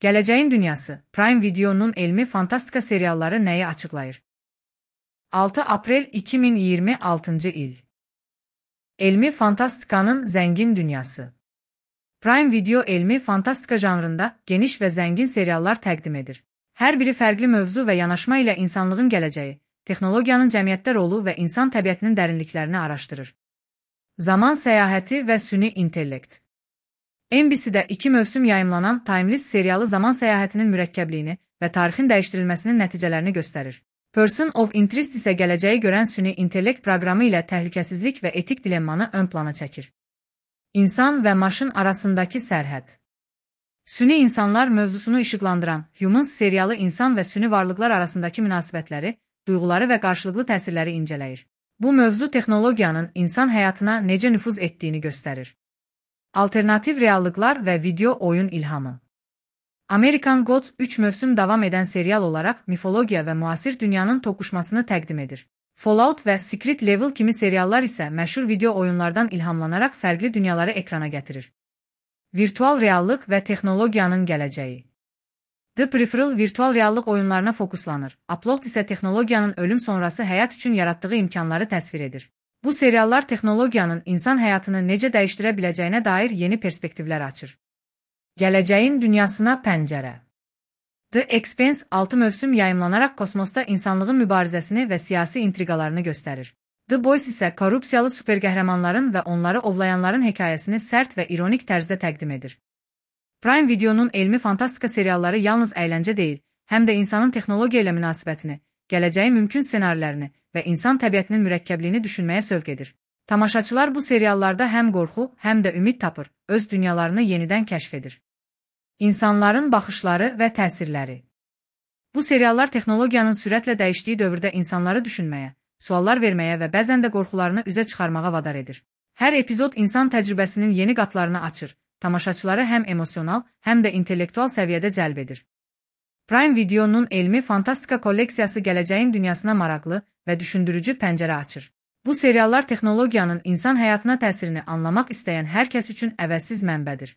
Gələcəyin dünyası, Prime Video'nun elmi fantastika serialları nəyi açıqlayır? 6 aprel 2026 il. Elmi fantastikanın zəngin dünyası. Prime Video elmi fantastika janrında geniş və zəngin seriallar təqdim edir. Hər biri fərqli mövzu və yanaşma ilə insanlığın gələcəyi, texnologiyanın cəmiyyətdə rolu və insan təbiətinin dərinliklərini araşdırır. Zaman səyahəti və süni intellekt. NBC-də 2 mövsüm yayımlanan Timeless serialı zaman səyahətinin mürəkkəbliyini və tarixin dəyişdirilməsinin nəticələrini göstərir. Person of Interest isə gələcəyi görən süni intellekt proqramı ilə təhlükəsizlik və etik dilemmanı ön plana çəkir. İnsan və maşın arasındakı sərhəd. Süni insanlar mövzusunu işıqlandıran Humans serialı insan və süni varlıqlar arasındakı münasibətləri, duyğuları və qarşılıqlı təsirləri incələyir. Bu mövzu texnologiyanın insan həyatına necə nüfuz etdiyini göstərir. Alternativ reallıqlar və video oyun ilhamı. American Gods 3 mövsüm davam edən serial olaraq mifologiya və müasir dünyanın toqquşmasını təqdim edir. Fallout və Secret Level kimi seriallar isə məşhur video oyunlardan ilhamlanaraq fərqli dünyaları ekrana gətirir. Virtual reallıq və texnologiyanın gələcəyi. The Peripheral virtual reallıq oyunlarına fokuslanır. Upload isə texnologiyanın ölüm sonrası həyat üçün yaratdığı imkanları təsvir edir. Bu seriallar texnologiyanın insan həyatını necə dəyişdirə biləcəyinə dair yeni perspektivlər açır. Gələcəyin dünyasına pəncərə. The Expanse 6 mövsüm yayımlanaraq kosmosda insanlığın mübarizəsini və siyasi intriqalarını göstərir. The Boys isə korrupsiyalı superqəhramanların və onları ovlayanların hekayəsini sərt və ironik tərzdə təqdim edir. Prime Video'nun elmi fantastika serialları yalnız əyləncə deyil, həm də insanın texnologiya ilə münasibətini, gələcəyin mümkün ssenarilərini və insan təbiətinin mürəkkəbliyini düşünməyə sövq edir. Tamaşaçılar bu seriallarda həm qorxu, həm də ümid tapır, öz dünyalarını yenidən kəşf edir. İnsanların baxışları və təsirləri. Bu seriallar texnologiyanın sürətlə dəyişdiyi dövrdə insanları düşünməyə, suallar verməyə və bəzən də qorxularını üzə çıxarmağa vadar edir. Hər epizod insan təcrübəsinin yeni qatlarını açır, tamaşaçıları həm emosional, həm də intellektual səviyyədə cəlb edir. Prime Video'nun elmi fantastika kolleksiyası gələcəyin dünyasına maraqlı və düşündürücü pəncərə açır. Bu seriallar texnologiyanın insan həyatına təsirini anlamaq istəyən hər kəs üçün əvəzsiz mənbədir.